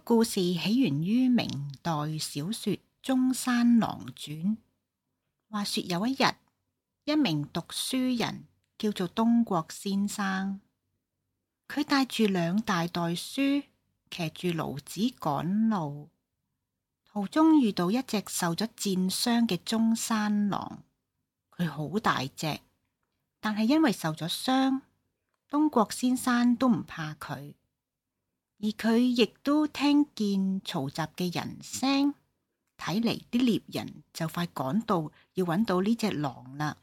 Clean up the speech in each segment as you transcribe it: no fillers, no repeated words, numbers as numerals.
故事起源於明代小說《中山狼傳》。話說有一日，一名讀書人叫做東郭先生，佢帶住2大袋書，騎住驢子趕路。途中遇到一隻受咗箭傷嘅中山狼，佢好大隻，但係因為受咗傷，東郭先生都唔怕佢。而佢亦都聽見嘈雜嘅人聲，睇嚟啲獵人就快趕到，要揾到呢隻狼啦。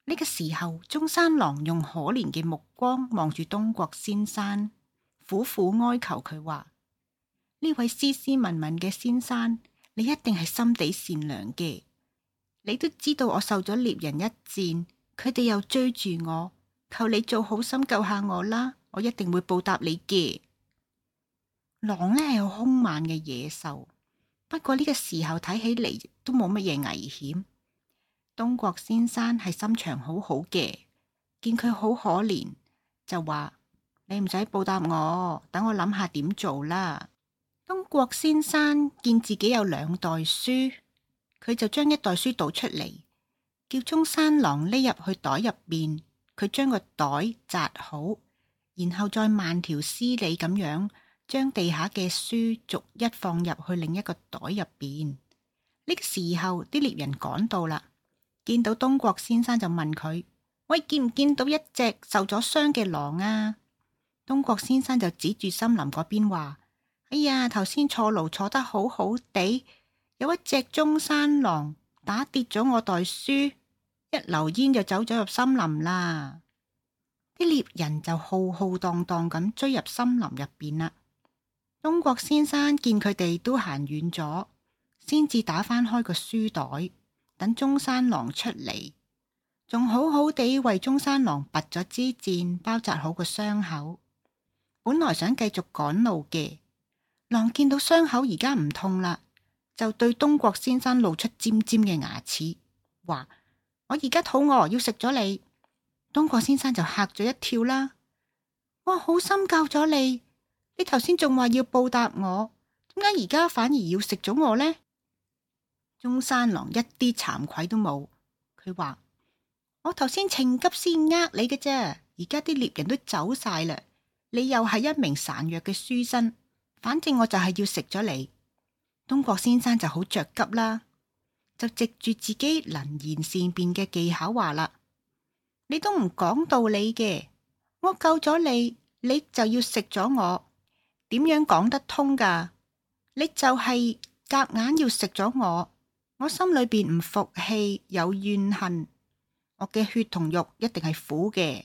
呢個時候，中山狼用可憐嘅目光望住東郭先生，苦苦哀求佢話：呢位斯斯文文嘅先生，你一定係心地善良嘅。你都知道我受咗獵人一箭，佢哋又追住我，求你做好心救下我啦，我一定會報答你嘅。狼呢係好兇猛嘅野獸，不過呢個時候睇起嚟都冇乜嘢危險。東郭先生係心腸好好嘅，見佢好可憐，就話：你唔使報答我，等我諗下點做啦。東郭先生見自己有2袋書，佢就將1袋書倒出嚟，叫中山狼匿入去袋入邊。佢將個袋紮好，然後再慢條斯理咁樣將地下嘅書逐一放入去另一個袋入邊。呢個時候，啲獵人趕到啦，見到東郭先生就問佢：喂，見唔見到一隻受咗傷嘅狼啊？東郭先生就指住森林嗰邊話：哎呀，頭先坐驢坐得好好地，有一隻中山狼打跌咗我袋書，一溜煙就走咗入森林啦。啲獵人就浩浩蕩蕩咁追入森林入邊啦。東郭先生見佢哋都行遠咗，先至打翻開個書袋，等中山狼出嚟，仲好好地為中山狼拔咗支箭，包紮好個傷口。本來想繼續趕路嘅狼，見到傷口而家唔痛啦，就對東郭先生露出尖尖嘅牙齒，話：我而家肚餓，要食咗你。東郭先生就嚇咗一跳啦，我好心救咗你。你頭先仲話要報答我，點解而家反而要食咗我呢？中山狼一啲慚愧都冇，佢話：我頭先情急先呃你嘅啫，而家啲獵人都走晒啦，你又係一名孱弱嘅書生，反正我就係要食咗你。東郭先生就好着急啦，就藉住自己能言善辯嘅技巧話啦：你都唔講道理嘅，我救咗你，你就要食咗我。點樣講得通㗎？你就係夾硬要食咗我，我心裏邊唔服氣，有怨恨，我嘅血同肉一定係苦嘅。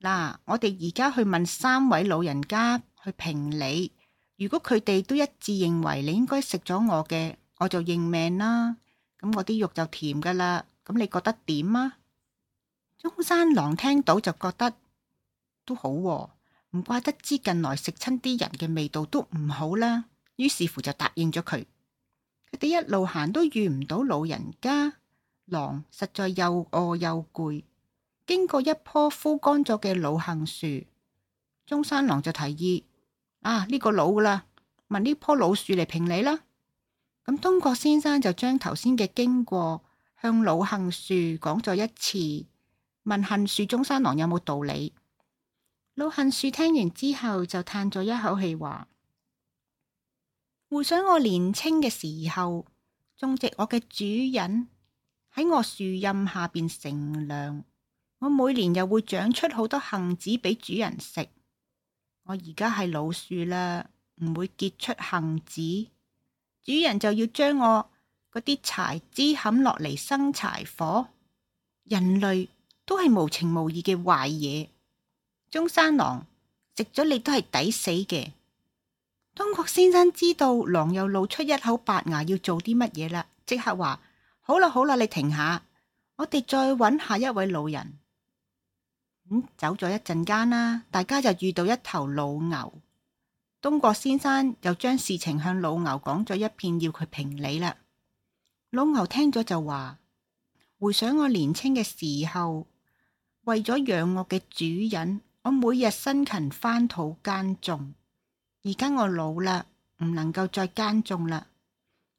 嗱，我哋而家去問3位老人家去評理，如果佢哋都一致認為你應該食咗我嘅，我就認命啦。咁我啲肉就甜㗎啦。咁你覺得點啊？中山狼聽到就覺得都好喎，唔怪得知近來食親啲人嘅味道都唔好啦，於是乎就答應咗佢。佢哋一路行都遇唔到老人家，狼實在又餓又攰，經過一棵枯乾咗嘅老杏樹，中山狼就提議：呢個老啦，問呢棵老樹嚟評理啦。咁東郭先生就將頭先嘅經過向老杏樹講咗一次，問杏樹中山狼有冇道理。老杏樹聽完之後就嘆咗一口氣，話：回想我年青嘅時候，種植我嘅主人喺我樹蔭下邊乘涼，我每年又會長出好多杏子俾主人食。我而家係老樹啦，唔會結出杏子，主人就要將我嗰啲柴枝砍落嚟生柴火。人類都係無情無義嘅壞嘢。中山狼食咗你都係抵死嘅。東郭先生知道狼又露出一口白牙要做啲乜嘢啦，即刻話：好啦，你停下，我哋再揾下一位老人。走咗一陣間啦，大家就遇到一頭老牛。東郭先生又將事情向老牛講咗一遍，要佢評理啦。老牛聽咗就話：回想我年輕嘅時候，為咗養我嘅主人，我每日辛勤翻土耕種。而家我老啦，唔能夠再耕種啦。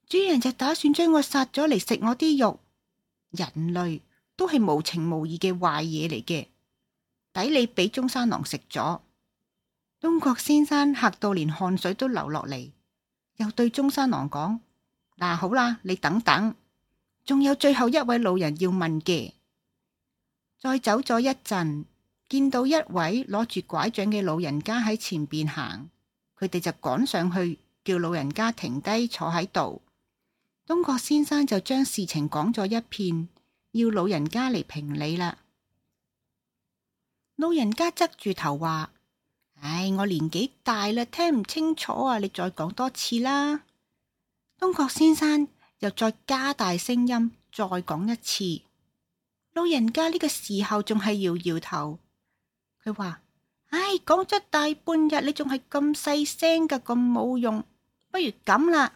主人就打算將我殺咗嚟食我啲肉。人類都係無情無義嘅壞嘢嚟嘅，抵你俾中山狼食咗。東郭先生嚇到連汗水都流落嚟，又對中山狼講：嗱，好啦，你等等，仲有最後一位老人要問嘅。再走咗一陣，見到一位攞住拐杖嘅老人家喺前邊行，佢哋就趕上去叫老人家停低坐喺度。東郭先生就將事情講咗一遍，要老人家嚟評理啦。老人家側住頭話：唉，我年紀大啦，聽唔清楚啊，你再講多次啦。東郭先生又再加大聲音再講一次。老人家呢個時候仲係搖搖頭，佢話：唉，講咗大半日，你仲係咁細聲噶，咁冇用。不如咁啦，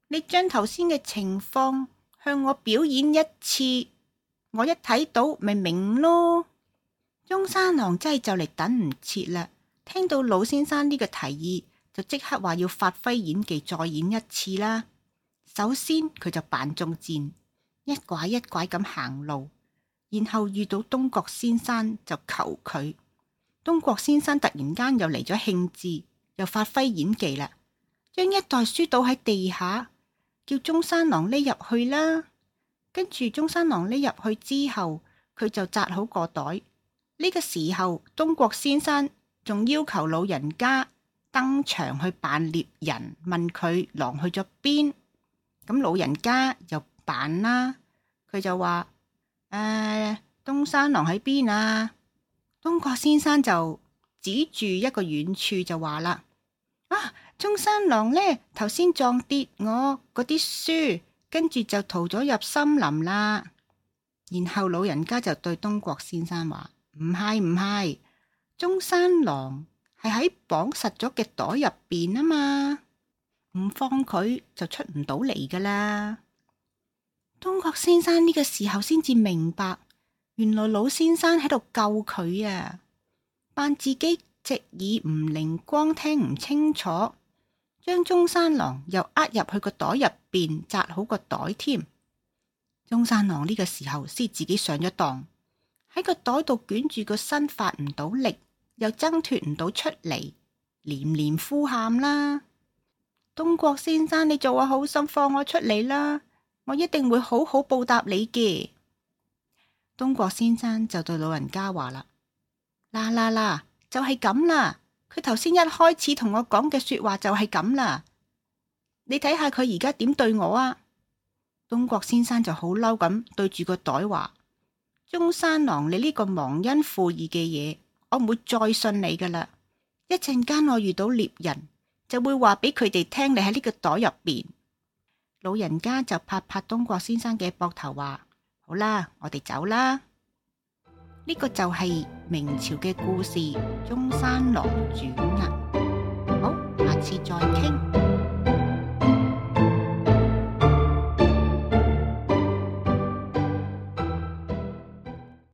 你將頭先嘅情況向我表演一次，我一睇到咪明咯。中山狼真係就嚟等唔切啦，聽到老先生呢個提議，就即刻話要發揮演技再演一次啦。首先佢就扮中箭，一拐一拐咁行路，然後遇到東郭先生就求佢。東郭先生突然間又嚟咗興致，又發揮演技啦，將一袋書倒喺地下，叫中山狼匿入去啦。跟住中山狼匿入去之後，佢就紮好個袋。呢個時候，東郭先生仲要求老人家登場去扮獵人，問佢狼去咗邊。咁老人家又扮啦，佢就話：東山狼喺邊啊？東郭先生就指住一個遠處就話啦：中山狼呢，頭先撞跌我嗰啲書，跟住就逃咗入森林啦。然後老人家就對東郭先生話：唔係，中山狼係喺綁實咗嘅袋入邊啊嘛，唔放佢就出唔到嚟噶啦。東郭先生呢個時候先至明白，原來老先生喺度救佢啊，扮自己隻耳唔靈光，聽唔清楚，將中山狼又呃入去個袋入邊，紮好個袋添。中山狼呢個時候先自己上咗當，喺個袋度捲住個身，發唔到力，又掙脫唔到出嚟，連連呼喊啦：東郭先生，你做我好心，放我出嚟啦，我一定會好好報答你嘅。東郭先生就對老人家話啦：嗱，就係咁啦，佢頭先一開始同我講嘅說話就係咁啦，你睇下佢而家點對我啊。東郭先生就好嬲咁對住個袋話：中山狼，你呢個忘恩負義嘅嘢，我唔會再信你噶啦。一陣間我遇到獵人，就會話俾佢哋聽你喺呢個袋入邊。老人家就拍拍東郭先生嘅膊頭話：好啦，我哋走啦。呢個就係明朝嘅故事《中山狼傳》啊。好，下次再傾。